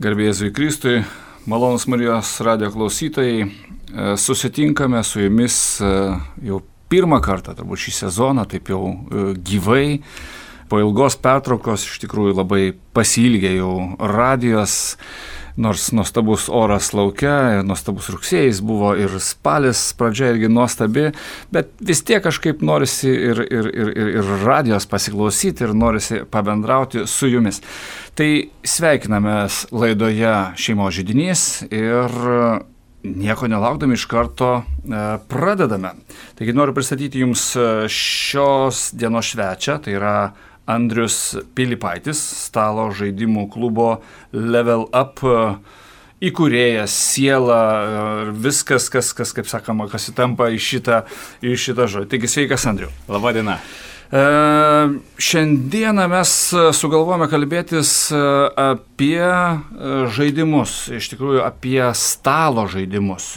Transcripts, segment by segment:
Garbė Jėzui Kristui, malonūs Marijos radijo klausytojai, susitinkame su jumis jau pirmą kartą, turbūt šį sezoną, taip jau gyvai. Po ilgos pertraukos iš tikrųjų labai pasiilgė jau radijos, nors nuostabus oras laukia, nuostabus rugsėjais buvo ir spalis pradžia irgi nuostabi, bet vis tiek kažkaip norisi ir radijos pasiklausyti ir norisi pabendrauti su jumis. Tai sveikinamės laidoje Šeimos židinys ir nieko nelaukdami iš karto pradedame. Taigi noriu pristatyti jums šios dienos svečią, tai yra Andrius Pilypaitis, stalo žaidimų klubo Level Up įkūrėjas, siela, viskas, kas kaip sakoma, kas įtampa į šitą žodį. Taigi sveikas, Andriu. Labą dieną. Šiandieną mes sugalvojame kalbėtis apie žaidimus, iš tikrųjų apie stalo žaidimus.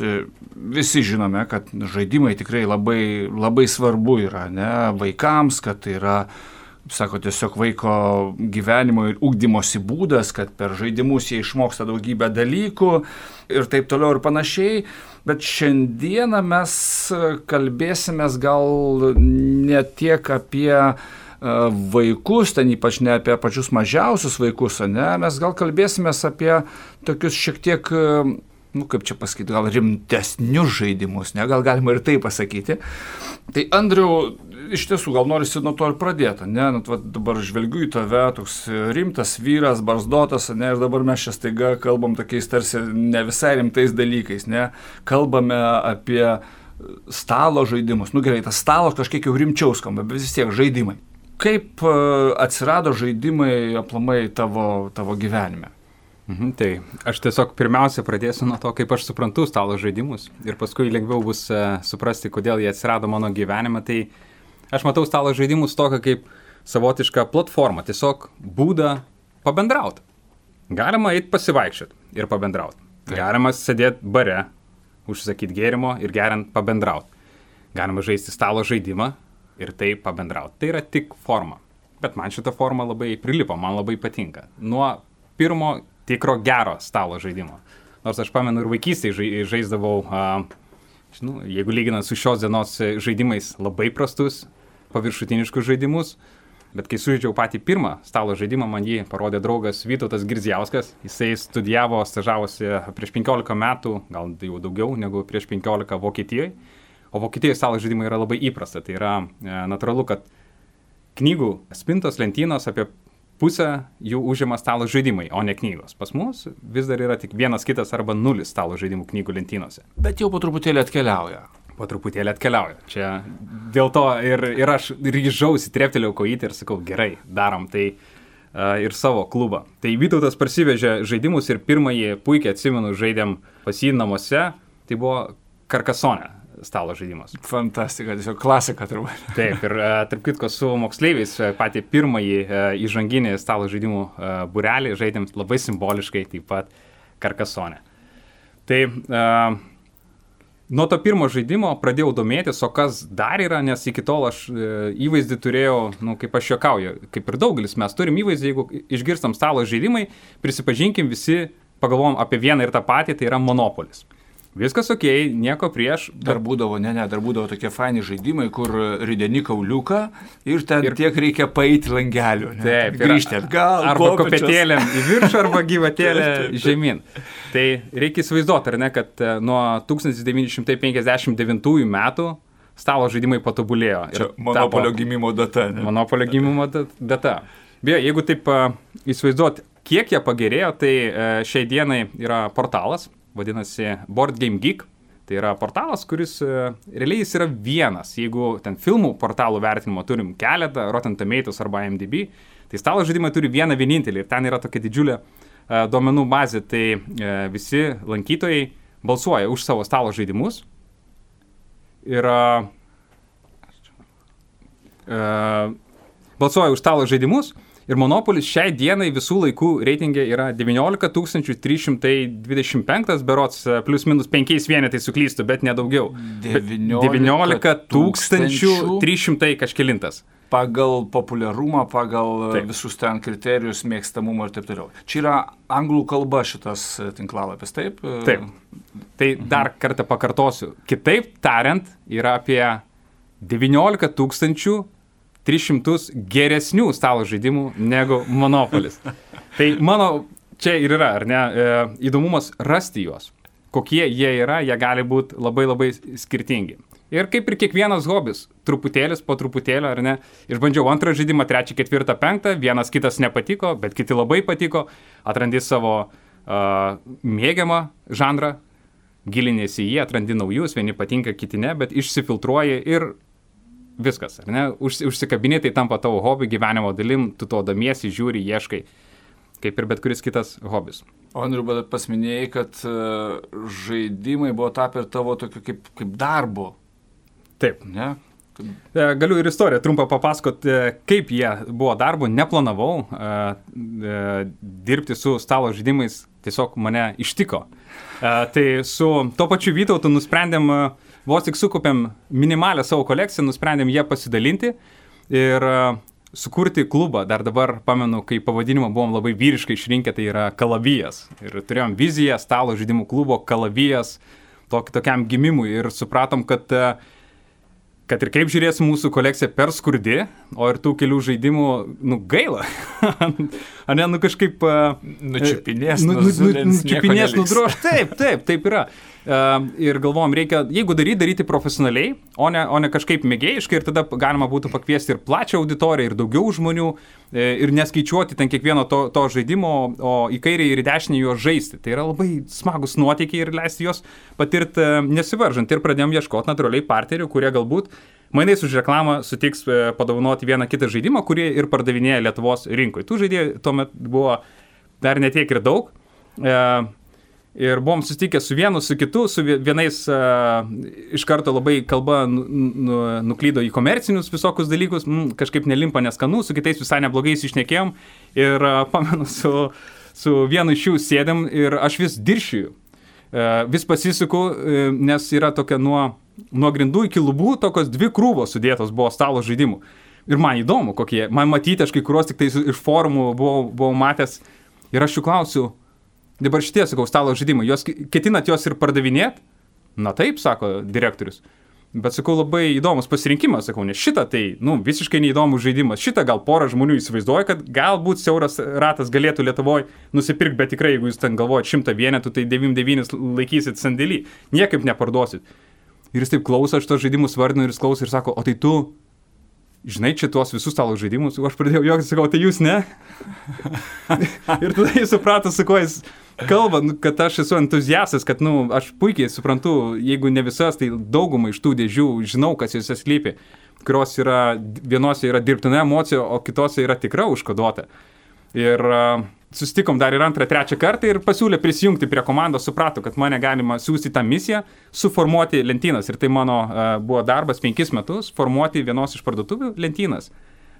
Visi žinome, kad žaidimai tikrai labai svarbu yra, ne, vaikams, kad tai yra, sako, tiesiog vaiko gyvenimo ir ugdymosi būdas, kad per žaidimus jie išmoksta daugybę dalykų ir taip toliau ir panašiai. Bet šiandieną mes kalbėsimės gal ne tiek apie vaikus, ten ypač ne apie pačius mažiausius vaikus, ne? Mes gal kalbėsimės apie tokius šiek tiek, kaip čia pasakyti, gal rimtesnius žaidimus, ne? Gal galima ir tai pasakyti. Tai Andriau, iš tiesų, gal norisi nuo to ir pradėti, ne? Dabar žvelgiu į tave, toks rimtas vyras, barzdotas, ne? Ir dabar mes čia staiga kalbam tokiais tarsi ne visai rimtais dalykais, ne? Kalbame apie stalo žaidimus. Gerai, tas stalas kažkiek jau rimčiau skamba, bet vis tiek žaidimai. Kaip atsirado žaidimai aplamai tavo gyvenime? Tai aš tiesiog pirmiausia pradėsiu nuo to, kaip aš suprantu stalo žaidimus ir paskui lengviau bus suprasti, kodėl jie atsirado mano gyvenime. Tai aš matau stalo žaidimus tokią kaip savotišką platformą, tiesiog būdą pabendrauti. Galima eiti pasivaikščioti ir pabendrauti. Galima sėdėti bare, užsakyti gėrimo ir geriant pabendrauti. Galima žaisti stalo žaidimą ir tai pabendrauti. Tai yra tik forma. Bet man šita forma labai prilipo, man labai patinka. Nuo pirmo tikro gero stalo žaidimo. Nors aš pamenu ir vaikystėje žaisdavau, jeigu lyginant su šios dienos žaidimais, labai prastus, paviršutiniškus žaidimus. Bet kai sužaidžiau patį pirmą stalo žaidimą, man jį parodė draugas Vytautas Girdzijauskas. Jisai studijavo, stažavosi prieš 15 metų, gal jau daugiau negu prieš 15 Vokietijoje. O Vokietijoje stalo žaidimai yra labai įprasta. Tai yra natūralu, kad knygų spintos, lentynos apie pusę jų užima stalo žaidimai, o ne knygos. Pas mus vis dar yra tik vienas kitas arba nulis stalo žaidimų knygų lentynose. Bet jau po truputėlį atkeliauja. Po truputėlį atkeliauja. Čia dėl to ir aš ryžausi, treptelėjau kojytę ir sakau, gerai, darom tai ir savo klubą. Tai Vytautas parsivežė žaidimus ir pirmąjį puikiai atsimenu žaidėm pas jį namuose, tai buvo Karkasone stalo žaidimas. Fantastika, tiesiog klasika turbūt. Taip, ir tarp kitko su moksleiviais patį pirmąjį įžanginį stalo žaidimų būrelį žaidėm labai simboliškai taip pat Karkasone. Tai nuo to pirmo žaidimo pradėjau domėtis, o kas dar yra, nes iki tol aš įvaizdį turėjau, kaip aš juokauju, kaip ir daugelis mes turim įvaizdį, jeigu išgirstam stalo žaidimai, prisipažinkim visi, pagalvom apie vieną ir tą patį, tai yra Monopolis. Viskas okei, nieko prieš. Dar būdavo tokie faini žaidimai, kur rideni kauliuką ir ten tiek reikia paeiti langeliu. Taip, grįžti atgal. Arba kopėtėlėm į viršų, arba gyvatėlę žemyn. Tai reikia įsivaizduoti, ar ne, kad nuo 1959 metų stalo žaidimai patobulėjo. Čia Monopolio gimimo data. Ne? Monopolio gimimo data. Beje, jeigu taip įsivaizduoti, kiek jie pagerėjo, tai šiai dienai yra portalas. Vadinasi Board Game Geek, tai yra portalas, kuris realiai jis yra vienas. Jeigu ten filmų portalų vertinimo turim keletą, Rotten Tomatoes arba IMDb, tai stalo žaidimai turi vieną vienintelį ir ten yra tokia didžiulė duomenų bazė, tai visi lankytojai balsuoja už savo stalo žaidimus ir balsuoja už stalo žaidimus. Ir Monopolis šiai dienai visų laikų reitingė yra 19 325 berods, plus minus 5 vienetai suklystu, bet nedaugiau. 19 300 kažkelintas. pagal populiarumą, pagal visus ten kriterijus, mėgstamumą ir taip toliau. Čia yra anglų kalba šitas tinklalapis, taip? Taip. Tai dar kartą pakartosiu. Kitaip tariant, yra apie 19 300 geresnių stalo žaidimų negu Monopolis. Tai mano čia ir yra, ar ne, įdomumas rasti juos. Kokie jie yra, jie gali būti labai labai skirtingi. Ir kaip ir kiekvienas hobis, truputėlis po truputėlio, ar ne, išbandžiau antrą žaidimą, trečią, ketvirtą, penktą, vienas kitas nepatiko, bet kiti labai patiko, atrandi savo mėgiamą žanrą, gilinėsi į jį, atrandi naujus, vieni patinka, kiti ne, bet išsifiltruoji ir viskas, ar ne, užsikabini, tai tampa tavo hobi, gyvenimo dalim, tu to domiesi, žiūri, ieškai, kaip ir bet kuris kitas hobis. O Andriu, bet pasminėjai, kad žaidimai buvo tapę ir tavo tokiu kaip darbu. Taip. Ne? Galiu ir istoriją trumpą papasakot, kaip jie buvo darbu, neplanavau dirbti su stalo žaidimais, tiesiog mane ištiko. Tai su to pačiu Vytautu nusprendėm, vos tik sukupėm minimalę savo kolekciją, nusprendėm ją pasidalinti ir sukurti klubą. Dar dabar pamenu, kai pavadinimą buvom labai vyriškai išrinkę, tai yra Kalavijas. Ir turėjom viziją stalo žaidimų klubo Kalavijas tokiam gimimui ir supratom, kad ir kaip žiūrės mūsų kolekcija per skurdi, o ir tų kelių žaidimų, gaila. Ane, kažkaip... Nučiupinės, nudroš. Taip yra. Ir galvom, reikia, jeigu daryti profesionaliai, o ne kažkaip mėgėjiškai, ir tada galima būtų pakviesti ir plačią auditoriją, ir daugiau žmonių, ir neskaičiuoti ten kiekvieno to žaidimo, o į kairę ir į dešinę juos žaisti. Tai yra labai smagus nuotykiai ir leisti juos patirti nesivaržant. Ir pradėjom ieškoti natūraliai partnerių, kurie galbūt mainais už reklamą sutiks padovanoti vieną kitą žaidimą, kurį ir pardavinėja Lietuvos rinkoje. Tų žaidėjų tuomet buvo dar netiek ir daug. Ir buvom susitikę su vienu, su kitu, su vienais iš karto labai kalba nuklydo į komercinius visokius dalykus, kažkaip nelimpa neskanu, su kitais visai neblogai išnekėjom. Ir pamenu, su vienu iš jų sėdėm ir aš vis diršiju. Vis pasisuku, nes yra tokia nuo grindų iki lubų tokios 2 krūvos sudėtos buvo stalo žaidimų. Ir man įdomu, kokie. Man matyti, aš kai kuriuos tik tai iš forumų buvau matęs. Ir aš jų klausiu, dabar šitie, sakau, stalo žaidimai, ketinat juos ir pardavinėt? Na taip, sako direktorius. Bet sakau, labai įdomus pasirinkimas, sakau, nes šitą tai, visiškai neįdomus žaidimas. Šitą gal porą žmonių įsivaizduoja, kad galbūt siauras ratas galėtų Lietuvoje nusipirkti, bet tikrai, jeigu jūs ten galvojat 100 vienetų, tai 99 laikysit sandėlį, niekaip neparduosit. Ir jis taip klauso, aš tos žaidimus vardinu ir jis klauso ir sako, o tai tu žinai čia tuos visus stalo žaidimus? Aš pradėjau juoktis, sakau, tai jūs ne? Ir tada jis suprato, su kuo jis kalba, kad aš esu entuziastas, kad aš puikiai suprantu, jeigu ne visas, tai daugumą iš tų dėžių žinau, kas jose slypi, kurios yra, vienose yra dirbtina emocija, o kitose yra tikra užkoduota. Ir susitikom dar ir 2, 3 kartą ir pasiūlė prisijungti prie komandos, suprato, kad mane galima siūsti tą misiją, suformuoti lentynas. Ir tai mano buvo darbas 5 metus, formuoti vienos iš parduotuvių lentynas.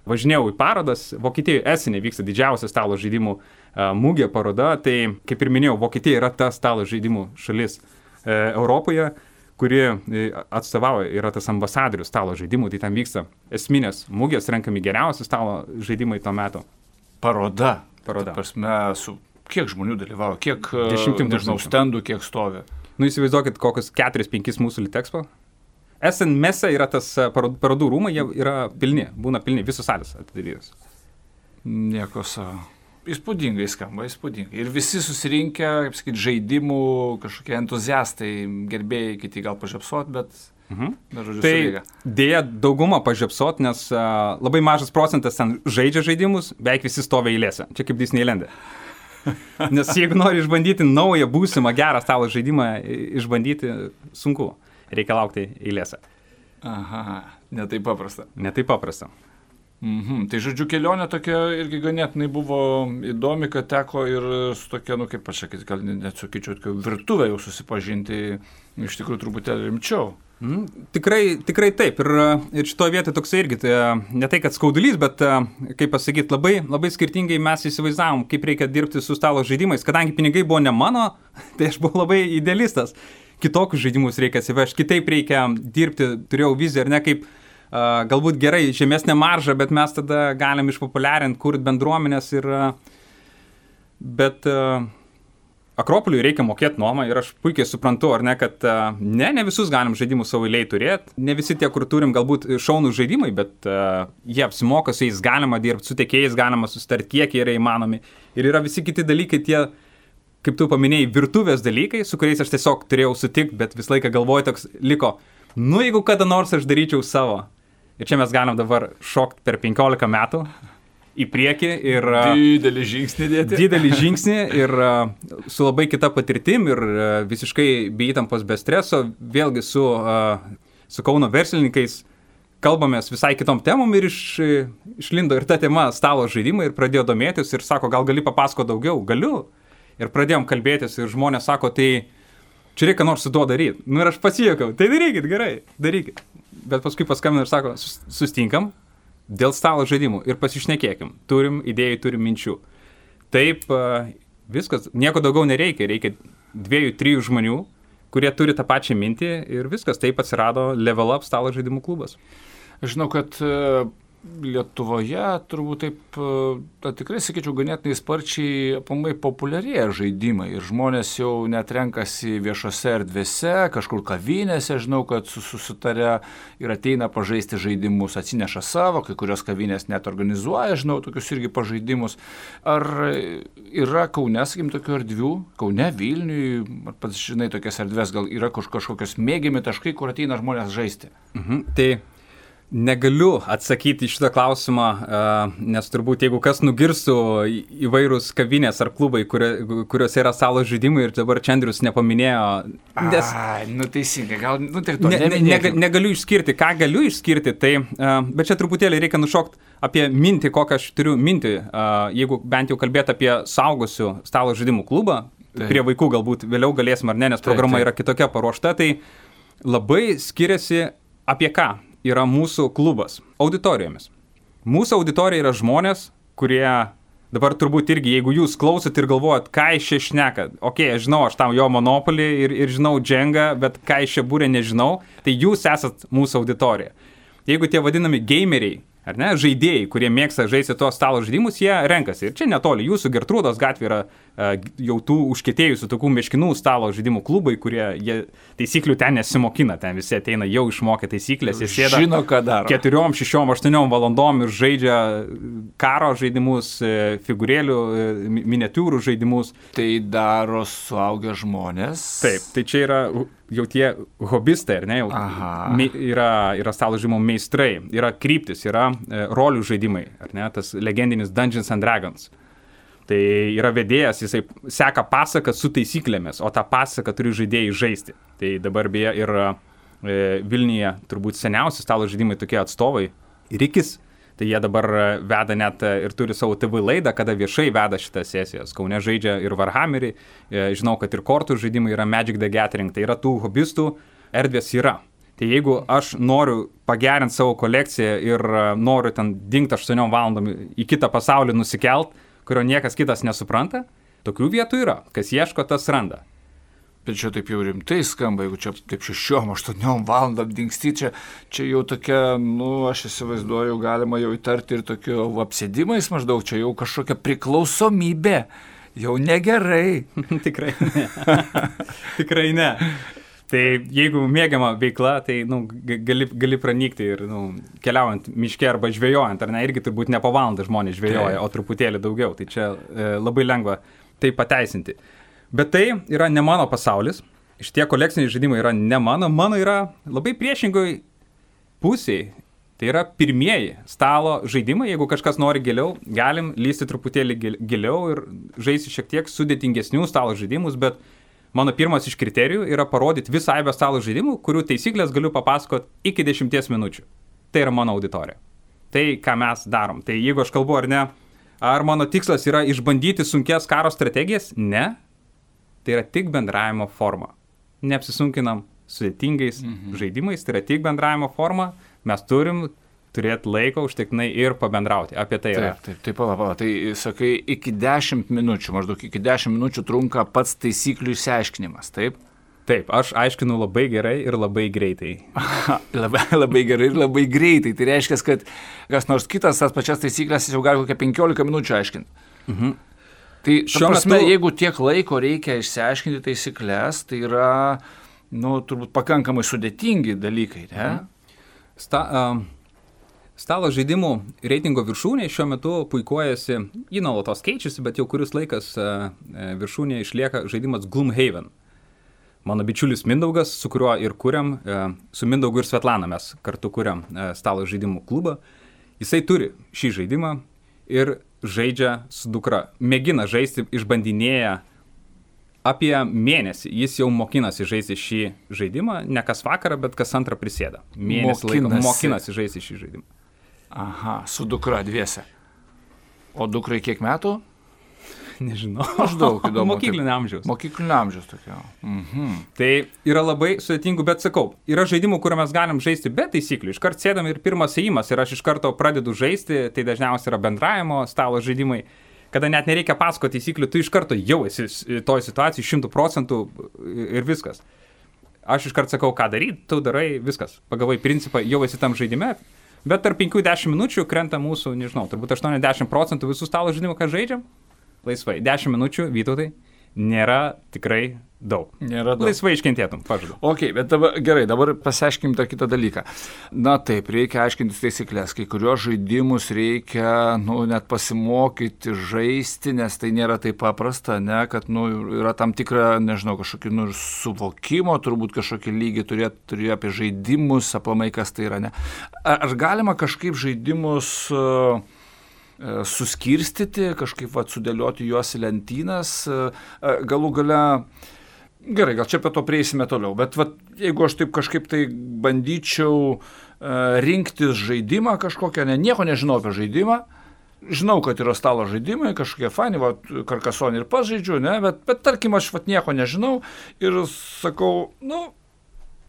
Važinėjau į parodas, Vokietijoje Esene vyksta didžiausia stalo žaidimų mugė paroda, tai kaip ir minėjau, Vokietija yra ta stalo žaidimų šalis Europoje, kuri atstovauja, yra tas ambasadorius stalo žaidimų, tai ten vyksta esminės mugės, renkami geriausi stalo žaidimai tuo metu. Paroda. Prasme, su kiek žmonių dalyvavo, kiek, nežinau, stendų, kiek stovi? Įsivaizduokit, kokius 4-5 mūsų Litexpo. Essen mese yra tas parodų rūmai, jie yra pilni, būna pilni, visos salės atidarytos. Nieko savo. Įspūdingai skamba, įspūdingai. Ir visi susirinkę, kaip sakyti, žaidimų, kažkokie entuziastai, gerbėjai, kiti gal pažiapsot, bet... Tai dėja dauguma pažiapsot, nes labai mažas procentas ten žaidžia žaidimus, beveik visi stovi eilėse. Čia kaip Disneylande. Nes jeigu nori išbandyti naują, būsimą, gerą stalo žaidimą, išbandyti sunku. Reikia laukti eilėse. Aha, netai paprasta. Netai paprasta. Tai žodžiu, kelionė tokia irgi ganėtinai buvo įdomi, kad teko ir su tokia, kaip aš sakyti, gal net sakyčiau, virtuvė jau susipažinti iš tikrųjų truputėlį rimčiau. Tikrai taip. Ir šitoje vietoje toksai irgi, tai ne tai, kad skaudulys, bet, kaip pasakyti, labai skirtingai mes įsivaizdavom, kaip reikia dirbti su stalo žaidimais. Kadangi pinigai buvo ne mano, tai aš buvau labai idealistas. Kitokius žaidimus reikia atsivežti, kitaip reikia dirbti, turėjau viziją, ar ne, kaip galbūt gerai, žemesnė marža, bet mes tada galim išpopuliarinti, kurti bendruomenės bet Akropoliui reikia mokėti nuomą ir aš puikiai suprantu, ar ne, kad ne visus galim žaidimus savo eiliai turėti, ne visi tie, kur turim galbūt šaunų žaidimai, bet jie apsimoka, su jais galima dirbti, su tiekėjais galima susitarti, kiek yra įmanomi. Ir yra visi kiti dalykai, tie, kaip tu paminėjai, virtuvės dalykai, su kuriais aš tiesiog turėjau sutikti, bet visą laiką galvoju toks liko, jeigu kada nors aš daryčiau savo. Ir čia mes galim dabar šokti per 15 metų. Į priekį ir didelį žingsnį dėti. Didelį žingsnį ir su labai kita patirtim ir visiškai be įtampos, be streso, vėlgi su Kauno verslininkais kalbamės visai kitom temom ir išlindo ir ta tema stalo žaidimai ir pradėjo domėtis ir sako, gal gali papasakoti daugiau? Galiu. Ir pradėjom kalbėtis ir žmonės sako, tai čia reikia nors su tuo daryti. Ir aš pasijuokau, tai darykit, gerai, darykit. Bet paskui paskambino ir sako, sustinkam dėl stalo žaidimų ir pasišnekėkim. Turim idėjų, turim minčių. Taip, viskas, nieko daugiau nereikia. Reikia 2-3 žmonių, kurie turi tą pačią mintį ir viskas. Taip atsirado Level Up stalo žaidimų klubas. Aš žinau, kad Lietuvoje turbūt taip, tikrai sakyčiau, ganėtinai sparčiai populiarėja žaidimai ir žmonės jau net renkasi viešose erdvėse, kažkur kavinėse, žinau, kad susitarė ir ateina pažaisti žaidimus, atsineša savo, kai kurios kavinės net organizuoja, žinau, tokius irgi pažaidimus. Ar yra Kaune, sakykim, tokių erdvių, Kaune, Vilniui, pats žinai, tokias erdvės, gal yra kažkokios mėgiami taškai, kur ateina žmonės žaisti? Tai negaliu atsakyti į šitą klausimą, nes turbūt jeigu kas nugirstų įvairūs kavinės ar klubai, kuriuose yra stalo žaidimai ir dabar čia Andrius nepaminėjo. Nes... Teisingai, gal, tik to neminėkim. Negaliu išskirti, ką galiu išskirti, tai, bet čia truputėlį reikia nušokti apie mintį, kokią aš turiu mintį, jeigu bent jau kalbėti apie suaugusių stalo žaidimų klubą, prie vaikų galbūt vėliau galėsim ar ne, nes programa yra kitokia paruošta, tai labai skiriasi apie ką yra mūsų klubas auditorijomis. Mūsų auditorija yra žmonės, kurie dabar turbūt irgi, jeigu jūs klausot ir galvojat, ką iš čia šneka, aš žinau, aš tam jo monopolį ir žinau džengą, bet ką iš čia būrė nežinau, tai jūs esat mūsų auditorija. Jeigu tie vadinami gameriai, ar ne, žaidėjai, kurie mėgsta žaisti tuos stalo žaidimus, jie renkasi. Ir čia netoli, jūsų Gertrūdos gatvė yra jau tų užkietėjusių tokių meškinų stalo žaidimų klubai, kurie taisyklių ten nesimokina, ten visi ateina jau išmokę taisyklės, jie sėda 4, 6, 8 valandom ir žaidžia karo žaidimus, figūrėlių, miniatiūrų žaidimus. Tai daro suaugę žmonės. Taip, tai čia yra jau tie hobistai, ar ne, yra stalo žaidimų meistrai, yra kryptis, yra rolių žaidimai, ar ne, tas legendinis Dungeons and Dragons. Tai yra vedėjas, jisai seka pasaką su taisyklėmis, o tą pasaką turi žaidėjai žaisti. Tai dabar beje ir Vilniuje turbūt seniausi stalo žaidimai tokie atstovai, Rikis, tai jie dabar veda net ir turi savo TV laidą, kada viešai veda šitas sesijas. Kaune žaidžia ir Warhammerį, žinau, kad ir kortų žaidimai yra Magic the Gathering, tai yra tų hobistų erdvės yra. Tai jeigu aš noriu pagerinti savo kolekciją ir noriu ten dingti 8 valandom į kitą pasaulį nusikelt, kurio niekas kitas nesupranta, tokių vietų yra. Kas ieško, tas randa. Bet čia taip jau rimtai skamba, jeigu čia taip 6-8 valandom dingsti, čia jau tokia, aš įsivaizduoju, galima jau įtarti ir tokiu apsėdimais maždaug, čia jau kažkokia priklausomybė, jau negerai. Tikrai ne. Tikrai ne. Tai jeigu mėgiama veikla, tai gali pranykti ir keliaujant miške arba žvejojant, ar ne, irgi turbūt ne po valandą žmonės žvejoja, o truputėlį daugiau. Tai čia labai lengva tai pateisinti. Bet tai yra ne mano pasaulis. Šitie kolekciniai žaidimai yra ne mano yra labai priešingoj pusėje. Tai yra pirmieji stalo žaidimai. Jeigu kažkas nori giliau, galim lysti truputėlį giliau ir žaisti šiek tiek sudėtingesnių stalo žaidimus, bet mano pirmas iš kriterijų yra parodyti visą aibę stalo žaidimų, kurių taisyklės galiu papasakoti iki 10 minučių. Tai yra mano auditorija. Tai, ką mes darom. Tai jeigu aš kalbu ar ne, ar mano tikslas yra išbandyti sunkias karo strategijas? Ne. Tai yra tik bendravimo forma. Neapsisunkinam sudėtingais žaidimais, tai yra tik bendravimo forma. Mes turim turėti laiko užtektinai ir pabendrauti. Apie tai yra. Taip, pala. Tai sakai, iki 10 minučių, maždaug iki 10 minučių trunka pats taisyklių išsiaiškinimas, taip? Taip, aš aiškinu labai gerai ir labai greitai. Labai gerai ir labai greitai. Tai reiškia, kad kas nors kitas tas pačias taisyklės jau gali kokią 15 minučių aiškinti. Tai šiuo prasme, jeigu tiek laiko reikia išsiaiškinti taisyklės, tai yra, turbūt pakankamai sudėtingi dalykai, ne? Stalo žaidimų reitingo viršūnė šiuo metu puikuojasi, jį nuolatos keičiasi, bet jau kuris laikas viršūnėje išlieka žaidimas Gloomhaven. Mano bičiulis Mindaugas, su kuriuo ir kuriam, su Mindaugu ir Svetlana mes kartu kuriam stalo žaidimų klubą, jisai turi šį žaidimą ir žaidžia su dukra. Mėgina žaisti, išbandinėja apie mėnesį. Jis jau mokinasi žaisti šį žaidimą, ne kas vakarą, bet kas antrą prisėda. Mėnesį laiko mokinasi žaisti šį žaidimą. Aha, su dukra dviese. O dukrai kiek metų? Nežinau. Maždaug įdomu. Mokyklinio amžiaus. Mokyklinio amžiaus tokia. Tai yra labai sudėtingų, bet sakau, yra žaidimų, kur mes galim žaisti be taisyklių. Iškart sėdam ir pirmas ėjimas ir aš iš karto pradedu žaisti, tai dažniausiai yra bendravimo stalo žaidimai, kada net nereikia pasakoti taisyklių, tu iš karto jau esi toj situacijai 100% ir viskas. Aš iš karto sakau, ką daryti, tu darai, viskas. Pagavai principą, jau esi tam žaidime, bet tarp 5-10 minučių krenta mūsų, nežinau, turbūt 80% visų stalo žaidimų, ką žaidžiam. Laisvai. 10 minučių, Vytautai, nėra tikrai daug. Nėra daug. Laisvai iškentėtum, pažadu. Ok, bet dabar pasiaiškim tą kitą dalyką. Na taip, reikia aiškintis taisyklės. Kai kurios žaidimus reikia, net pasimokyti žaisti, nes tai nėra taip paprasta, ne, kad, yra tam tikra, nežinau, kažkokį, suvokimo, turbūt kažkokį lygį turėjo apie žaidimus, aplamai kas tai yra, ne. Ar galima kažkaip žaidimus suskirstyti, kažkaip sudėlioti juos į lentynas, galų gale, gerai, gal čia apie to prieisime toliau, bet jeigu aš taip kažkaip tai bandyčiau rinktis žaidimą kažkokią, nieko nežinau apie žaidimą, žinau, kad yra stalo žaidimai, kažkokie fani, Karkasonį ir pats žaidžiu, ne, bet tarkim aš nieko nežinau ir sakau,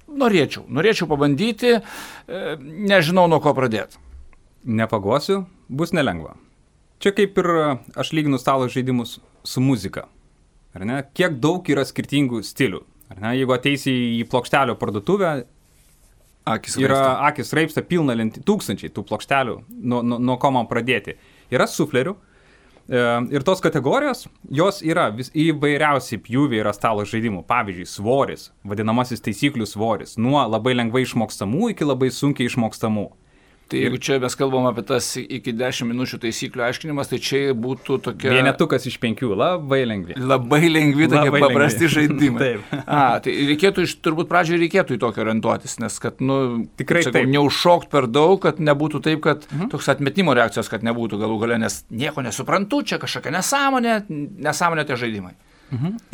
norėčiau pabandyti, nežinau nuo ko pradėti. Nepagosiu, bus nelengva. Čia kaip ir aš lyginu stalo žaidimus su muzika. Ar ne? Kiek daug yra skirtingų stilių. Ar ne? Jeigu ateisi į plokštelio parduotuvę, akis raipsta pilna tūkstančiai tų plokštelių, nuo ko man pradėti. Yra suflerių ir tos kategorijos, jos yra įvairiausiai pjūviai yra stalo žaidimų. Pavyzdžiui, svoris, vadinamasis taisyklių svoris, nuo labai lengvai išmokstamų iki labai sunkiai išmokstamų. Tai jeigu čia mes kalbam apie tas iki 10 minučių taisyklių aiškinimas, tai čia būtų tokia... Vienetukas iš 5, labai lengvi. Labai lengvi, tokie paprasti žaidimai. Taip. Tai reikėtų, turbūt pradžioje reikėtų į tokį orientuotis, nes kad, tikrai taip. Neužšokt per daug, kad nebūtų taip, kad toks atmetimo reakcijos, kad nebūtų galų gale, nes nieko nesuprantu, čia kažkokia nesąmonė tie žaidimai.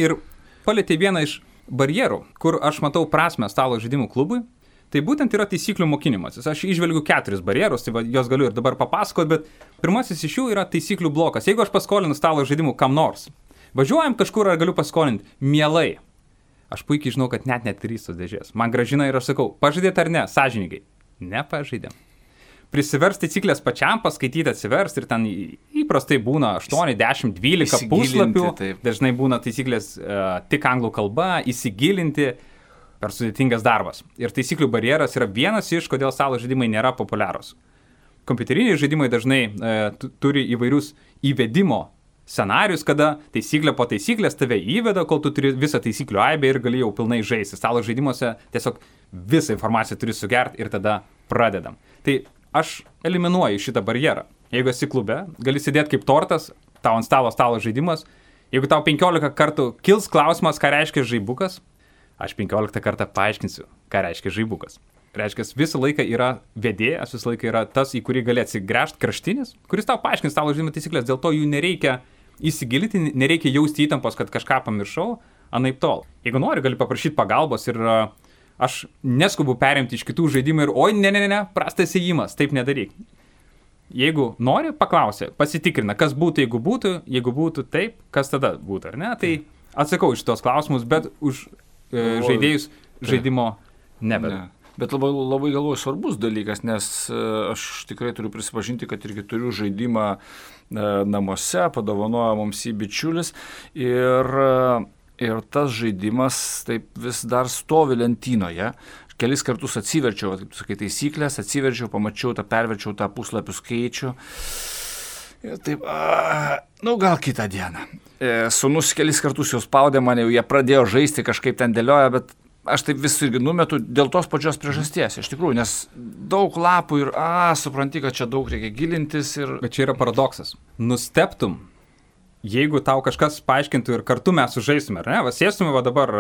Ir palietė vieną iš barjerų, kur aš matau prasmę stalo žaidimų klubui. Tai būtent yra taisyklių mokinimasis. Aš išvelgiu 4 barjerus, tai jos galiu ir dabar papasakoti, bet pirmasis iš jų yra taisyklių blokas. Jeigu aš paskolinu stalo žaidimų kam nors, važiuojam kažkur ar galiu paskolinti, mielai. Aš puikiai žinau, kad net netrys tos dėžės. Man grąžina ir aš sakau, pažaidėt ar ne, sąžiningai. Nepažaidėm. Prisivers taisyklės pačiam, paskaityti atsivers ir ten įprastai būna 8, 10, 12 puslapių. Taip. Dažnai būna taisyklės tik anglų kalba, įsigilinti. Per sudėtingas darbas. Ir taisyklių barjeras yra vienas iš, kodėl stalo žaidimai nėra populiarūs. Kompiuteriniai žaidimai dažnai turi įvairius įvedimo scenarius, kada taisyklė po taisyklės tave įveda, kol tu turi visą taisyklių aibę ir gali jau pilnai žaisti. Stalo žaidimuose tiesiog visą informaciją turi sugerti ir tada pradedam. Tai aš eliminuoju šitą barjerą. Jeigu esi klube, gali sėdėti kaip tortas, tau ant stalo žaidimas. Jeigu tau 15 kartų kils klausimas, ką reiškia žaibukas, aš 15 kartą paaiškinsiu, ką reiškia žaibukas. Reiškia, visą laiką yra vedėjas, visą laiką yra tas, į kurį gali atsigręžti kraštinis, kuris tau paaiškins stalo žaidimo taisyklės, dėl to jų nereikia įsigilinti, nereikia jausti įtampos, kad kažką pamiršau, anaip tol. Jeigu nori, gali paprašyti pagalbos ir aš neskubu perimti iš kitų žaidimų ir oi, ne, prastas ėjimas, taip nedaryk. Jeigu nori, paklausia, pasitikrina, kas būtų, jeigu būtų taip, kas tada būtų, ar ne? Tai atsakau iš tos klausimus, bet už žaidėjus žaidimo nebedu. Bet labai galvoju svarbus dalykas, nes aš tikrai turiu prisipažinti, kad irgi turiu žaidimą namuose, padovanojo mums jį bičiulis ir ir tas žaidimas taip vis dar stovi lentynoje. Kelis kartus atsiverčiau, kaip tu sakai, taisyklės, atsiverčiau, pamačiau, perverčiau tą puslapių skaičių. Ir taip, gal kitą dieną. Sūnus kelis kartus jau spaudė mane, jie pradėjo žaisti, kažkaip ten dėlioja, bet aš taip vis irgi numetu dėl tos pačios priežasties, iš tikrųjų, nes daug lapų ir, supranti, kad čia daug reikia gilintis ir... Bet čia yra paradoksas. Nusteptum, jeigu tau kažkas paaiškintų ir kartu mes sužaistume, ar ne? Sėstume dabar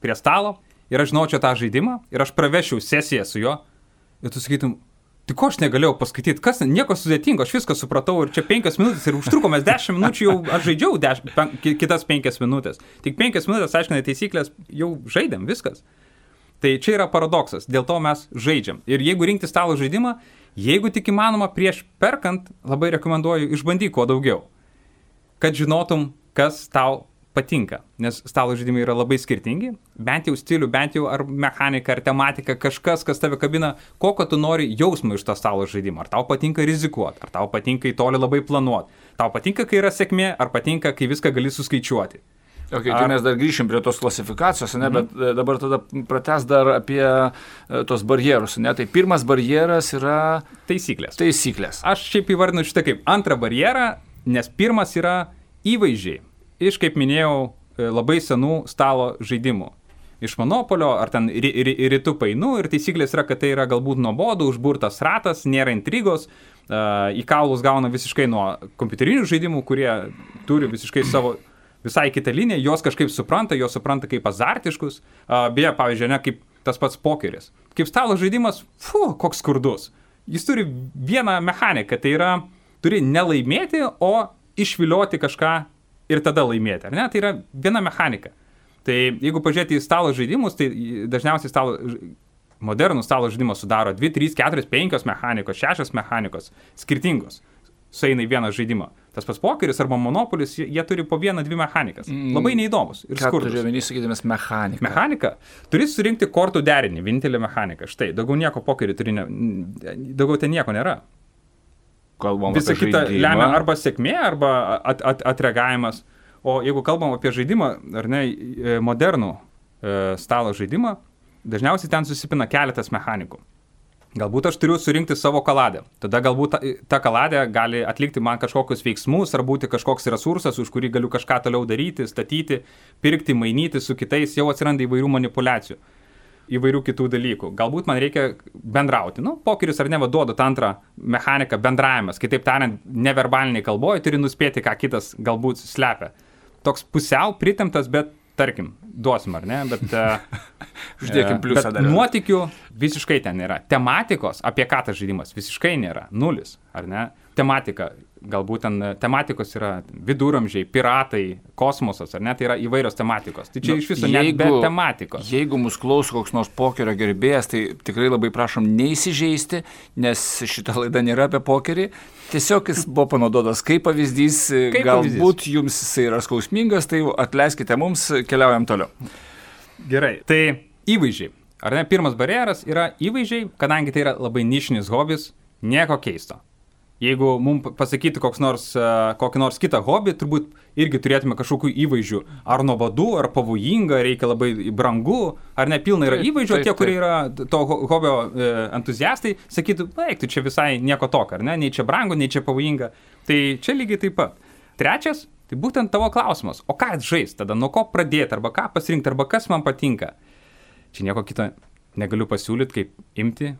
prie stalo ir aš žinaučiau tą žaidimą ir aš pravešiau sesiją su juo ir tu sakytum, tai ko aš negalėjau paskaityti, nieko sudėtingo, aš viską supratau ir čia 5 minutės ir užtrukomės 10 minučių, jau aš žaidžiau kitas 5 minutės. Tik 5 minutės, aiškinai, taisyklės, jau žaidėm, viskas. Tai čia yra paradoksas, dėl to mes žaidžiam. Ir jeigu rinkti stalo žaidimą, jeigu tik įmanoma prieš perkant, labai rekomenduoju išbandyk kuo daugiau, kad žinotum, kas tau patinka, nes stalo žaidimai yra labai skirtingi, bent jau stilių, bent jau ar mechanika, ar tematika, kažkas, kas tave kabina, kokio tu nori jausmą iš to stalo žaidimo. Ar tau patinka rizikuoti, ar tau patinka į toli labai planuoti, tau patinka, kai yra sėkmė, ar patinka, kai viską gali suskaičiuoti. Tai mes dar grįšim prie tos klasifikacijos, bet dabar tada pratęs dar apie tos barjerus. Tai pirmas barjeras yra... Taisyklės. Aš šiaip įvardinu šitą kaip antrą barjerą, nes pirmas yra įvaizdžiai. Iš, kaip minėjau, labai senų stalo žaidimų. Iš Monopolio, ar ten rytų painų, ir taisyklės yra, kad tai yra galbūt nuobodų, užburtas ratas, nėra intrigos, į kaulus gauna visiškai nuo kompiuterinių žaidimų, kurie turi visiškai savo visai kitą liniją, jos kažkaip supranta kaip azartiškus, beje, pavyzdžiui, ne kaip tas pats pokeris. Kaip stalo žaidimas, koks skurdus. Jis turi vieną mechaniką, tai yra, turi nelaimėti, o išvilioti kažką ir tada laimėti, ar ne? Tai yra viena mechanika. Tai jeigu pažiūrėti į stalo žaidimus, tai dažniausiai modernų stalo žaidimus sudaro 2, 3, 4, 5 mechanikos, 6 mechanikos, skirtingos, sueina į vieną žaidimą. Tas pats pokeris arba Monopolis, jie turi po 1-2 mechanikas. Labai neįdomus ir skurdus. Ką turi vienį sakydamas mechanika? Mechanika? Turi surinkti kortų derinį, vienintelė mechanika. Štai, daugiau nieko pokerį daugiau ten nieko nėra. Visa kita lemia arba sėkmė, arba atreagavimas. O jeigu kalbam apie žaidimą, ar ne, modernų stalo žaidimą, dažniausiai ten susipina keletas mechanikų. Galbūt aš turiu surinkti savo kaladę. Tada galbūt ta kaladė gali atlikti man kažkokius veiksmus, ar būti kažkoks resursas, už kurį galiu kažką toliau daryti, statyti, pirkti, mainyti su kitais, jau atsiranda įvairių manipulacijų. Įvairių kitų dalykų. Galbūt man reikia bendrauti. Pokeris ar ne duoda tą antrą mechaniką bendravimas. Kitaip tariant, neverbaliniai kalboje turi nuspėti, ką kitas galbūt slepia. Toks pusiau pritemptas, bet tarkim, duosim ar ne, bet... Uždėkim pliusą dar. Nuotykių visiškai ten nėra. Tematikos, apie ką tas žaidimas, visiškai nėra. 0, ar ne? Tematika, galbūt ten tematikos yra viduramžiai, piratai, kosmosas, ar ne, tai yra įvairios tematikos. Tai čia iš viso net be tematikos. Jeigu mus klauso koks nors pokerio gerbėjas, tai tikrai labai prašom neįsižeisti, nes šita laida nėra apie pokerį. Tiesiog jis buvo panaudotas kaip pavyzdys, galbūt jums jisai yra skausmingas, tai atleiskite mums, keliaujam toliau. Gerai, tai įvaizdžiai. Ar ne, pirmas barjeras yra įvaizdžiai, kadangi tai yra labai nišinis hobis, nieko keisto. Jeigu mums pasakytų kokį nors kitą hobį, turbūt irgi turėtume kažkokių įvaizdžių. Ar nuobodu, ar pavojinga, reikia labai brangu, ar ne pilna yra įvaizdžių, tie, kurie yra to hobio entuziastai, sakytų, tu čia visai nieko tokio, ar ne, nei čia brangu, nei čia pavojinga. Tai čia lygiai taip pat. Trečias, tai būtent tavo klausimas, o ką žaisti tada, nuo ko pradėti, arba ką pasirinkti, arba kas man patinka. Čia nieko kito negaliu pasiūlyti, kaip imti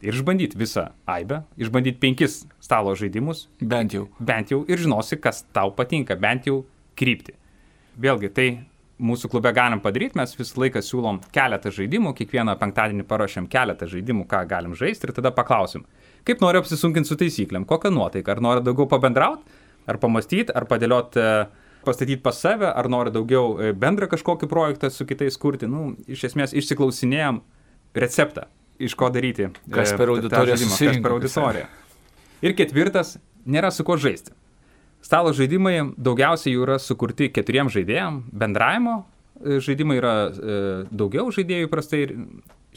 ir išbandyti visą aibę, išbandyti 5 stalo žaidimus. Bent jau. Ir žinosi, kas tau patinka, bent jau kryptį. Vėlgi, tai mūsų klube galim padaryti, mes visą laiką siūlom keletą žaidimų, kiekvieną penktadienį paruošiam keletą žaidimų, ką galim žaisti ir tada paklausim, kaip nori apsisunkinti su taisyklėm, kokią nuotaiką, ar nori daugiau pabendrauti, ar pamastyti, ar padėlioti, pastatyti pas save, ar nori daugiau bendrą kažkokį projektą su kitais kurti. Iš esmės išsiklausinėjom receptą, iš ko daryti. Kas per auditoriją. Ir ketvirtas, nėra su ko žaisti. Stalo žaidimai daugiausiai jų yra sukurti 4 žaidėjam, bendravimo žaidimai yra daugiau žaidėjų prastai,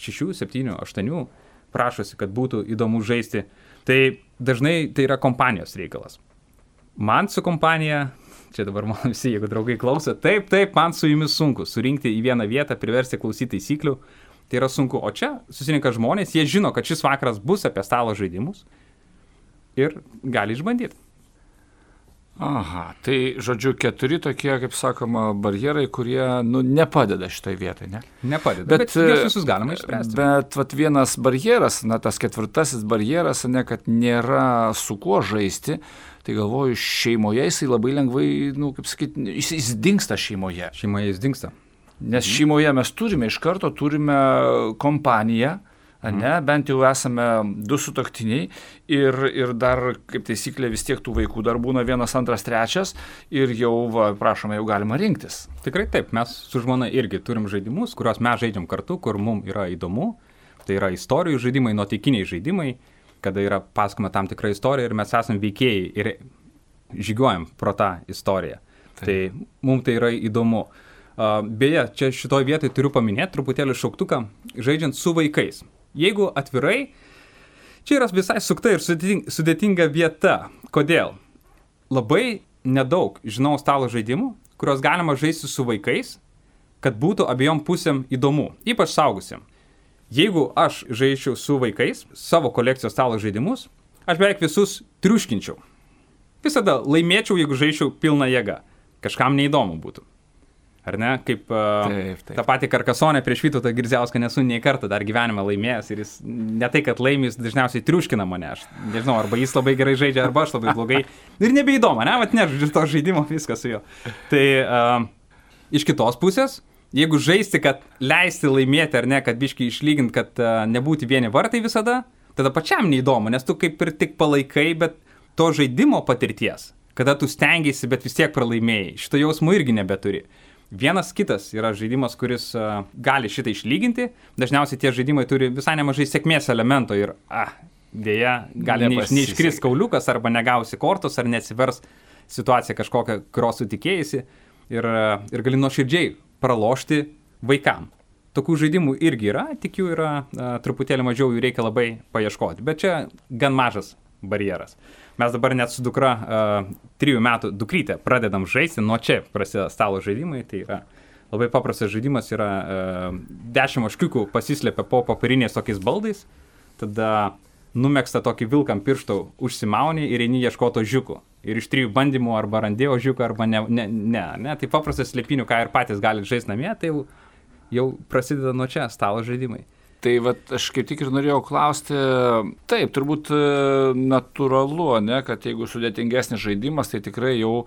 6, 7, 8 prašosi, kad būtų įdomu žaisti. Tai dažnai tai yra kompanijos reikalas. Man su kompanija čia dabar man visi, jeigu draugai klauso, taip, man su jumis sunku surinkti į vieną vietą, priversti klausyti taisyklių, tai yra sunku. O čia susirinka žmonės, jie žino, kad šis vakaras bus apie stalo žaidimus ir gali išbandyti. Aha, tai žodžiu 4 tokie, kaip sakoma, barjerai, kurie, nepadeda šitai vietai, ne? Nepadeda, bet juos visus galima išspręsti. Bet vat vienas barjeras, tas 4 barjeras, kad nėra su kuo žaisti, tai galvoju, šeimoje jisai labai lengvai, jis dingsta šeimoje. Šeimoje jis dingsta. Nes šeimoje mes iš karto turime kompaniją, bent jau esame 2 sutuoktiniai ir dar, kaip taisyklė, vis tiek tų vaikų dar būna 1, 2, 3 ir jau, prašome, jau galima rinktis. Tikrai taip, mes su žmona irgi turim žaidimus, kuriuos mes žaidžiam kartu, kur mums yra įdomu. Tai yra istorijų žaidimai, nuotykiniai žaidimai, kada yra pasakoma tam tikra istorija ir mes esam veikėjai ir žygiuojam pro tą istoriją. Taip. Tai mums tai yra įdomu. Beje, čia šitoj vietoj turiu paminėti truputėlį šauktuką, žaidžiant su vaikais. Jeigu atvirai, čia yra visai sukta ir sudėtinga vieta. Kodėl? Labai nedaug žinau stalo žaidimų, kurios galima žaisti su vaikais, kad būtų abiejom pusėm įdomu, ypač saugusiam. Jeigu aš žaisčiau su vaikais savo kolekcijos stalo žaidimus, aš beveik visus triuškinčiau. Visada laimėčiau, jeigu žaisčiau pilna jėga. Kažkam neįdomu būtų. Ar ne? Kaip taip. Ta pati Karkasonė prieš Vytautą Girdziauską nesu nei kartą dar gyvenime laimėjęs ir jis ne tai, kad laimės, dažniausiai triuškina mane. Aš nežinau, arba jis labai gerai žaidžia, arba aš labai blogai. Ir nebeįdomu, ne? Vat nežaidžiu to žaidimo, viskas su juo. Tai iš kitos pusės, jeigu žaisti, kad leisti laimėti ar ne, kad biškai išlyginti, kad nebūti vieni vartai visada, tada pačiam neįdomu, nes tu kaip ir tik palaikai, bet to žaidimo patirties, kada tu stengiasi, bet vis tiek pralaimėjai, šito jausmo irgi nebeturi. Vienas kitas yra žaidimas, kuris gali šitą išlyginti. Dažniausiai tie žaidimai turi visai nemažai sėkmės elemento ir dėja gali neiškris kauliukas arba negausi kortos ar neatsivers situacija kažkokia, kurios sutikėjusi ir gali nuoširdžiai pralošti vaikam. Tokių žaidimų irgi yra, tik jų yra truputėlį mažiau, jų reikia labai paieškoti, bet čia gan mažas barjeras. Mes dabar net su dukra 3 metų dukrytė pradedam žaisti, nuo čia prasideda stalo žaidimai, tai yra labai paprastas žaidimas, yra 10 ožkiukų pasislėpia po popieriniais tokiais baldais, tada numegsta tokį vilkam pirštą užsimauni ir eini ieškoti ožiukų. Ir iš 3 bandymų arba randi ožiuką, arba ne. Tai paprastas slėpinių, ką ir patys galite žaisti namie, tai jau prasideda nuo čia stalo žaidimai. Tai aš kaip tik ir norėjau klausti, taip, turbūt natūralu, kad jeigu sudėtingesnis žaidimas, tai tikrai jau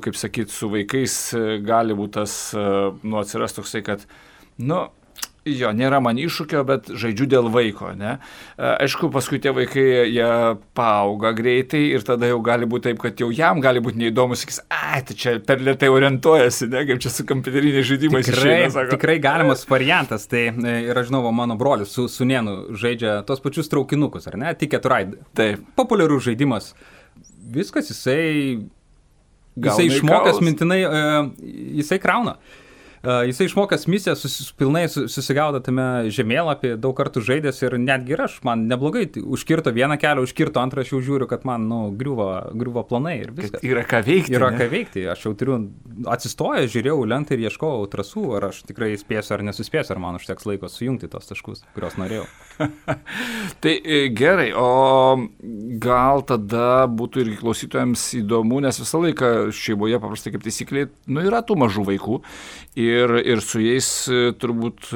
kaip sakyt, su vaikais gali būti tas, atsiras toksai, kad, nėra man iššūkio, bet žaidžiu dėl vaiko, ne? Aišku, paskui tie vaikai, jie paauga greitai ir tada jau gali būti taip, kad jau jam gali būti neįdomu, sakys, tai čia per lėtai orientuojasi, ne? Kaip čia su kompiuteriniais žaidimais išeina, sako. Tikrai galimas variantas, tai ir aš žinau, mano brolis su sūnėnu žaidžia tos pačius traukinukus, ar ne? Ticket Ride. Taip. Populiarus žaidimas. Viskas, jisai išmokęs mintinai, jisai krauna. Jisai išmokęs misiją, pilnai susigaudo tame žemėlapį, daug kartų žaidęs ir netgi aš, man neblogai, užkirto vieną kelią, užkirto antrą, aš jau žiūriu, kad man griuvo planai ir viskas. Kad yra ką veikti. Yra ką veikti, aš jau turiu atsistojęs, žiūrėjau lentą ir ieškojau trasų, ar aš tikrai spėsiu ar nesuspėsiu, ar man užteks laiko sujungti tos taškus, kuriuos norėjau. Tai gerai, o gal tada būtų irgi klausytojams įdomu, nes visą laiką šeimoje paprastai kaip taisyklė, yra tų mažų vaikų ir su jais turbūt,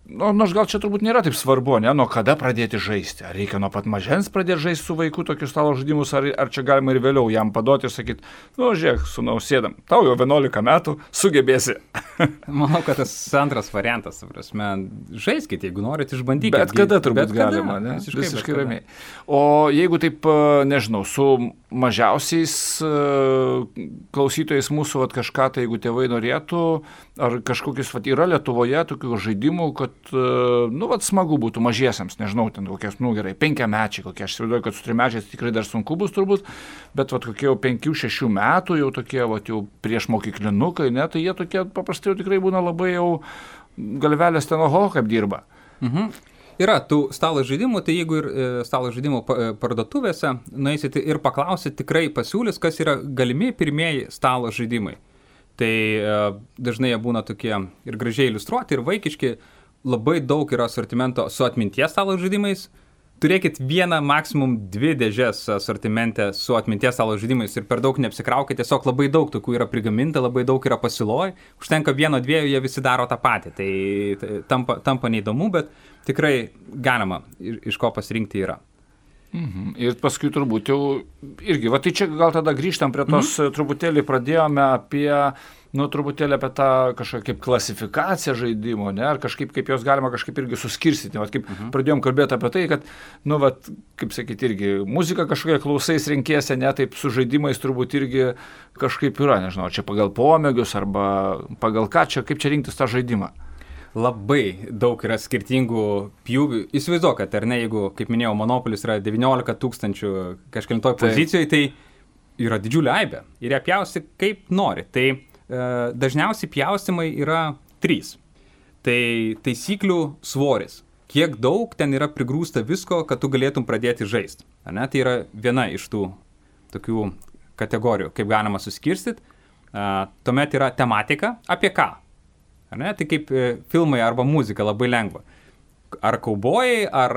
nors gal čia turbūt nėra taip svarbu, ne, nuo kada pradėti žaisti, ar reikia nuo pat mažens pradėti žaisti su vaiku tokius stalo žaidimus, ar čia galima ir vėliau jam paduoti ir sakyti, žiūrėk, sūnau, sėdam, tau jau 11 metų, sugebėsi. Manau, kad tas antras variantas, prasme, žaiskite, jeigu norit išbandykite. Bet kada turbūt galima, ne? Visiškai ramiai. O jeigu taip, nežinau, su mažiausiais klausytojais mūsų, kažką tai, jeigu tėvai norėtų, ar kažkokius, yra Lietuvoje tokių žaidimų, kad, smagu būtų mažiesiams, nežinau, ten kokias, gerai, 5-mečiai, kokie, aš įsivaizduoju, kad su 3-mečiais tikrai dar sunku bus turbūt, bet kokie jau 5-6 metų, jau tokie, jau prieš mokyklinukai, ne, tai jie tokie paprastai jau tikrai būna labai jau galvelės ten, kaip dirba. Mhm. Yra tų stalo žaidimų, tai jeigu ir stalo žaidimų parduotuvėse nueisite ir paklausite, tikrai pasiūlys, kas yra galimi pirmieji stalo žaidimai. Tai dažnai jie būna tokie ir gražiai iliustruoti, ir vaikiški, labai daug yra asortimento su atminties stalo žaidimais. Turėkit vieną, maksimum 2 dėžes asortimente su atminties stalo žaidimais ir per daug neapsikraukit, tiesiog labai daug tokių yra prigaminta, labai daug yra pasiūloj, užtenka 1-2, jie visi daro tą patį, tai tampa neįdomu, bet tikrai galima, iš ko pasirinkti yra. Ir paskui turbūt jau irgi, va tai čia gal tada grįžtam prie tos, truputėlį pradėjome apie tą kažkokią kaip klasifikaciją žaidimo, ne, ar kažkaip kaip jos galima kažkaip irgi suskirstyti, va kaip pradėjom kalbėti apie tai, kad, kaip sakyti, irgi muzika kažkokia klausais renkiesi, ne, taip su žaidimais turbūt irgi kažkaip yra, nežinau, čia pagal pomėgius arba pagal ką čia, kaip čia rinktis tą žaidimą. Labai daug yra skirtingų pjūvių. Įsivaizduok, kad ar ne, jeigu, kaip minėjau, Monopolis yra 19 000 kažkelintoj pozicijoje, tai yra didžiulė aibė ir ją pjausti kaip nori. Tai dažniausiai pjaustimai yra 3. Tai taisyklių svoris. Kiek daug ten yra prigrūsta visko, kad tu galėtum pradėti žaisti. Tai yra viena iš tų tokių kategorijų, kaip galima suskirstyti. Tuomet yra tematika, apie ką. Tai kaip filmai arba muzika, labai lengva. Ar kaubojai, ar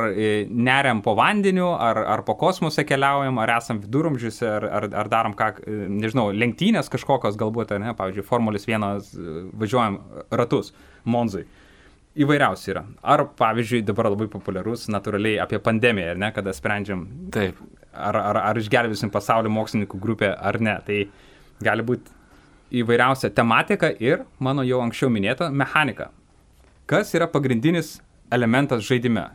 neriam po vandeniu, ar po kosmose keliaujam, ar esam viduramžiuose, ar darom ką, nežinau, lenktynės kažkokios galbūt, pavyzdžiui, Formulės 1 važiuojam ratus Monzai. Įvairiausiai yra. Ar, pavyzdžiui, dabar labai populiarus natūraliai apie pandemiją, kada sprendžiam, taip, ar išgelbėsim pasaulio mokslininkų grupę ar ne. Tai gali būti įvairiausia tematika ir, mano jau anksčiau minėta, mechanika. Kas yra pagrindinis elementas žaidime?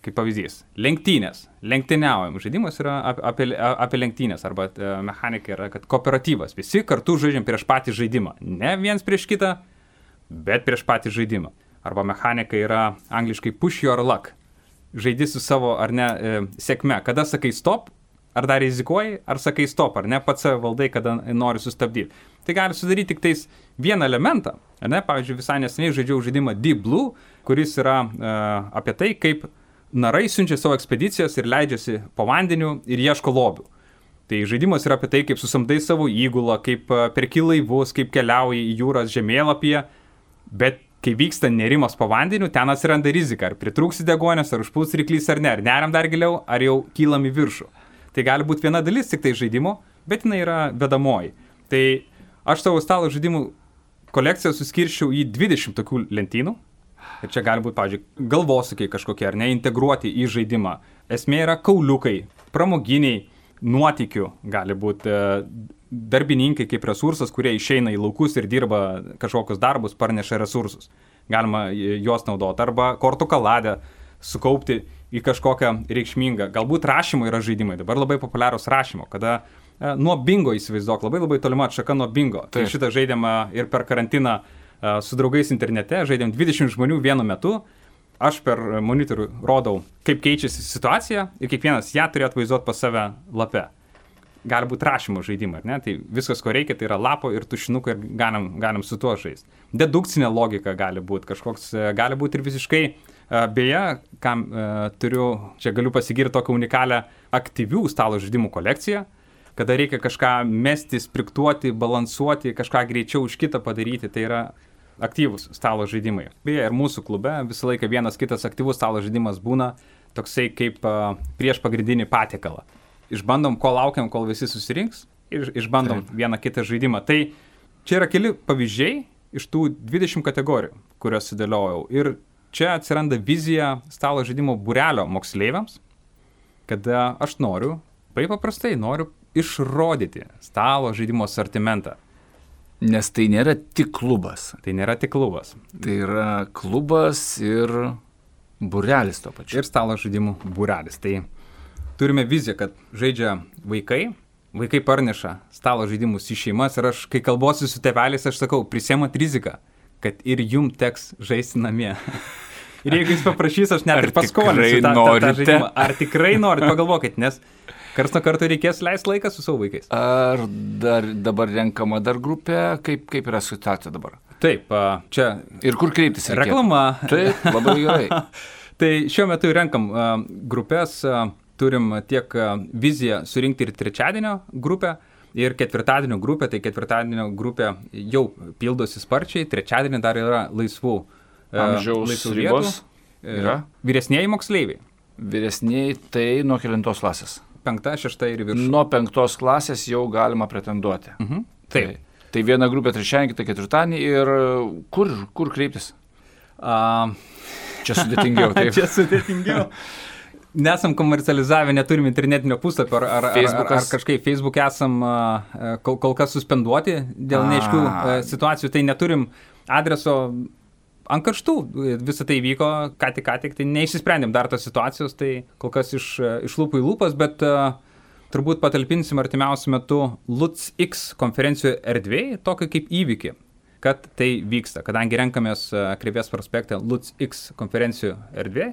Kaip pavyzdys, lenktynės, lenktyniaujam. Žaidimas yra apie lenktynės, arba mechanika yra, kad kooperatyvas. Visi kartu žaidžiam prieš patį žaidimą. Ne viens prieš kitą, bet prieš patį žaidimą. Arba mechanika yra angliškai push your luck. Žaidi su savo, ar ne, sėkme. Kada sakai stop, ar dar rizikuoji, ar sakai stop, ar ne, pats valdai, kada nori sustabdyti. Tai gali sudaryti tik tais vieną elementą. Pavyzdžiui, visai neseniai žaidžiau žaidimą Deep Blue, kuris yra apie tai, kaip narai siunčia savo ekspedicijas ir leidžiasi po vandeniu ir ieško lobių. Tai žaidimas yra apie tai, kaip susamdai savo įgulą, kaip perki laivus, kaip keliauji į jūras žemėlapyje, bet kai vyksta nerimas po vandeniu, ten atsiranda rizika, ar pritrūksi degonės, ar užpuls ryklys ar ne, ar neriam dar giliau, ar jau kylam į viršų. Tai gali būti viena dalis tik tai žaidimo, bet jinai yra vedamoji. Tai aš savo stalo žaidimų kolekciją suskirščiau į 20 tokių lentynų. Ir čia gali būti, pavyzdžiui, galvosūkiai kažkokie, ar ne, integruoti į žaidimą. Esmė yra kauliukai, pramoginiai, nuotykių, gali būti darbininkai kaip resursas, kurie išeina į laukus ir dirba kažkokius darbus, parneša resursus. Galima juos naudoti. Arba kortų kaladę sukaupti į kažkokią reikšmingą. Galbūt rašymo yra žaidimai. Dabar labai populiarūs rašymo, kada nuo bingo įsivaizduok, labai tolima atšaka nuo bingo. Tai šitą žaidėm ir per karantiną su draugais internete, žaidėm 20 žmonių vienu metu. Aš per monitorių rodau, kaip keičiasi situacija ir kiekvienas ją turi atvaizduoti pas save lape. Gali būti rašymo žaidimai, ar ne? Tai viskas, ko reikia, tai yra lapo ir tušinuko ir galim su tuo žaisti. Dedukcinė logika gali būti, kažkoks gali būti ir visiškai. Beje, kam čia galiu pasigirti tokią unikalią aktyvių stalo žaidimų kolekciją, kada reikia kažką mesti, spriktuoti, balansuoti, kažką greičiau už kitą padaryti, tai yra aktyvus stalo žaidimai. Beje, ir mūsų klube visą laiką vienas kitas aktyvus stalo žaidimas būna toksai kaip prieš pagrindinį patiekalą. Išbandom, kol laukiam, kol visi susirinks ir išbandom vieną kitą žaidimą. Tai čia yra keli pavyzdžiai iš tų 20 kategorijų, kurios sudėliojau. Ir čia atsiranda vizija stalo žaidimo būrelio moksleiviams, kada aš noriu, paprastai noriu išrodyti stalo žaidimo asortimentą. Nes tai nėra tik klubas. Tai nėra tik klubas. Tai yra klubas ir būrelis to pačiu. Ir stalo žaidimų būrelis. Tai turime viziją, kad žaidžia vaikai parneša stalo žaidimus į šeimas ir aš, kai kalbuosi su tėveliais, aš sakau, prisėmat riziką, kad ir jum teks žaisti namie. Ir jeigu jis paprašys, aš net ir paskolinsiu tą žaidimą. Ar tikrai norit, pagalvokit, nes karts nuo karto reikės leisti laiką su savo vaikais. Ar dabar renkama dar grupė? Kaip yra situacija dabar? Taip, čia... Ir kur kreiptis reikėtų? Reklama. Taip, labai gerai. Tai šiuo metu renkam grupės, turim tiek viziją surinkti ir trečiadienio grupę, ir ketvirtadienio grupę. Tai ketvirtadienio grupė jau pildosi sparčiai, trečiadienį dar yra laisvų amžiaus ribos. Vyresnieji moksleiviai. Vyresnieji tai nuo kelintos klasės? 5, 6 ir viršų. Nuo 5 klasės jau galima pretenduoti. Taip. Tai viena grupė trečiadienį, kita ketvirtadienį ir kur kreiptis? Čia sudėtingiau, taip. Čia sudėtingiau. Nesam komercializavę, neturim internetinio puslapio, ar kažkaip Facebook esam kol kas suspenduoti dėl neaiškių situacijų, tai neturim adreso ant karštų. Visą tai vyko ką tik, tai neišsisprendėm dar tos situacijos, tai kol kas iš lūpų į lūpas, bet turbūt patalpinsim artimiausiu metu LUTS-X konferencijų erdvėje tokį kaip įvykį, kad tai vyksta. Kadangi renkamės Krėvės prospekte LUTS-X konferencijų erdvėje,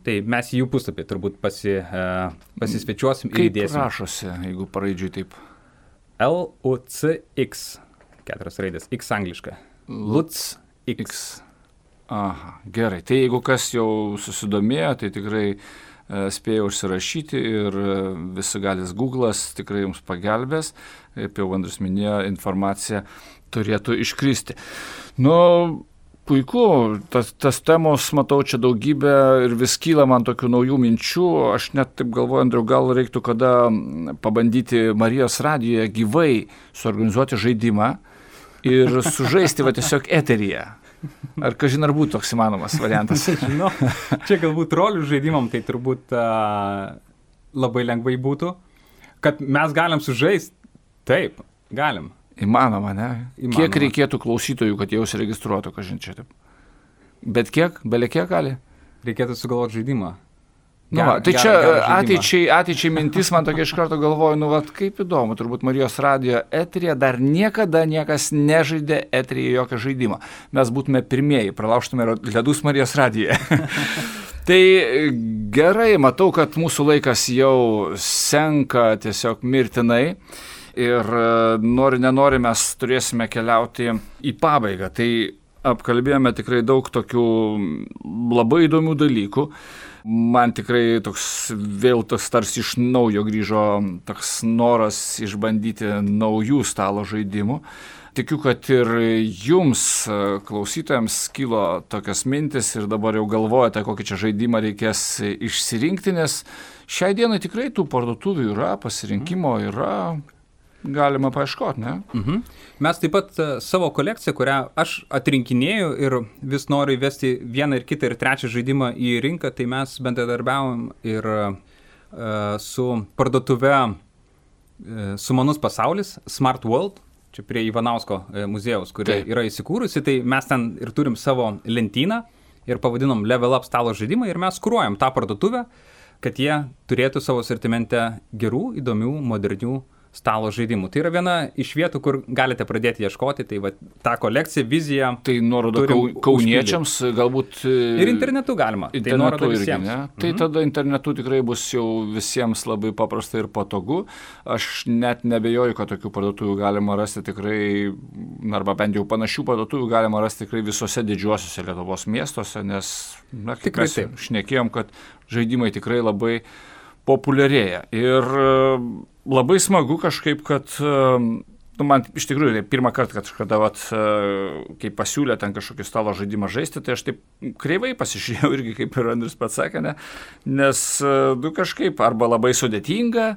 tai mes jų puslapį turbūt pasisvečiuosim ir įdėsim. Kaip rašosi, jeigu paraidžiui taip? LUTS-X, 4 raidės, X angliška. LUTS-X. Aha, gerai. Tai jeigu kas jau susidomėjo, tai tikrai spėjo užsirašyti ir visi galis Google'as tikrai jums pagelbės. Kaip jau Andrius minėjo, informacija turėtų iškristi. Puiku, tas temos, matau, čia daugybė ir vis kyla man tokių naujų minčių. Aš net taip galvoju, Andriau, gal reiktų kada pabandyti Marijos radijoje gyvai suorganizuoti žaidimą ir sužaisti tiesiog eteryje. Ar kažin ar būtų toks įmanomas variantas? Žinau, čia galbūt rolių žaidimam tai turbūt labai lengvai būtų. Kad mes galim sužaisti, taip, galim. Įmanoma, ne? Įmanoma. Kiek reikėtų klausytojų, kad jau užsiregistruotų, kažin čia taip? Bet kiek? Bele kiek gali? Reikėtų sugalvoti žaidimą. Tai čia ateičiai mintis man tokia iš karto galvoju, kaip įdomu, turbūt Marijos radijo eteryje dar niekada niekas nežaidė eteryje jokio žaidimo. Mes būtume pirmieji, pralaužtume ledus Marijos radijoje. Tai gerai, matau, kad mūsų laikas jau senka tiesiog mirtinai ir nori mes turėsime keliauti į pabaigą. Tai apkalbėjome tikrai daug tokių labai įdomių dalykų. Man tikrai vėl tarsi iš naujo grįžo toks noras išbandyti naujų stalo žaidimų. Tikiu, kad ir jums, klausytojams, kilo tokias mintis ir dabar jau galvojate, kokį čia žaidimą reikės išsirinkti, nes šiai dienai tikrai tų parduotuvių yra, pasirinkimo yra. Galima paieškoti, ne? Mes taip pat savo kolekciją, kurią aš atrinkinėju ir vis noriu įvesti vieną ir kitą ir trečią žaidimą į rinką, tai mes bendradarbiavom ir su parduotuve Sumanus pasaulis, Smart World, čia prie Ivanausko muziejaus, kuri yra įsikūrusi, tai mes ten ir turim savo lentyną ir pavadinom Level Up stalo žaidimą ir mes kuruojam tą parduotuvę, kad jie turėtų savo sortimente gerų, įdomių, modernių stalo žaidimų. Tai yra viena iš vietų, kur galite pradėti ieškoti, tai tą kolekciją, viziją. Tai nuoroda kauniečiams galbūt. Ir internetu galima. Internetu tai irgi, ne? Tai tada internetu tikrai bus jau visiems labai paprasta ir patogu. Aš net nebejoju, kad tokių parduotuvių galima rasti tikrai, arba bent jau panašių parduotuvių galima rasti tikrai visose didžiuosiuose Lietuvos miestuose, nes kaip mes šnekėjom, kad žaidimai tikrai labai populiarėja. Ir labai smagu kažkaip, kad man iš tikrųjų pirmą kartą, kad kažkada kai pasiūlė ten kažkokį stalo žaidimą žaisti, tai aš taip kreivai pasižiūrėjau irgi, kaip ir Andrius pats sakė, nes kažkaip arba labai sudėtinga,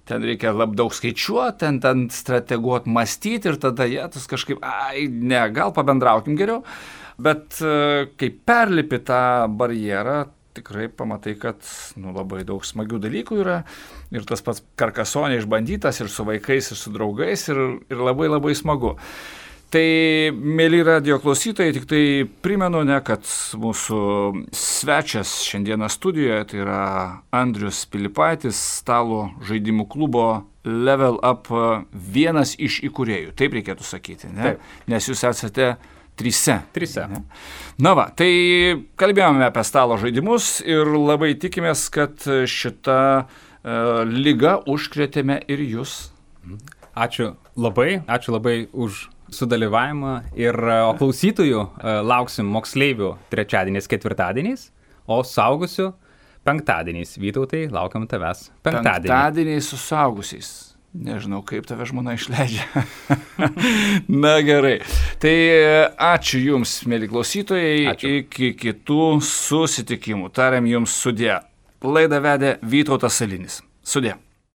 ten reikia labai daug skaičiuoti, ten strateguoti, mąstyti ir tada tas kažkaip, gal pabendraukim geriau, bet kai perlipi tą barjerą, tikrai pamatai, kad labai daug smagių dalykų yra ir tas pats Karkasonė išbandytas ir su vaikais, ir su draugais ir labai labai smagu. Tai, mėly radijo klausytojai, tik tai primenu, kad mūsų svečias šiandieną studijoje, tai yra Andrius Pilipaitis, stalo žaidimų klubo Level Up vienas iš įkūrėjų, taip reikėtų sakyti, ne? Taip. Nes jūs esate Trise. Tai kalbėjome apie stalo žaidimus ir labai tikimės, kad šitą ligą užkrėtėme ir jūs. Ačiū labai už sudalyvavimą ir klausytojų lauksim moksleivių trečiadieniais, ketvirtadieniais, o saugusių penktadieniais. Vytautai, laukiam tavęs penktadienį. Penktadieniais su saugusiais. Nežinau, kaip tave žmona išleidžia. Na gerai. Tai ačiū Jums, mėly klausytojai. Ačiū. Iki kitų susitikimų. Tariam Jums sudie. Laidą vedė Vytautas Salinis. Sudie.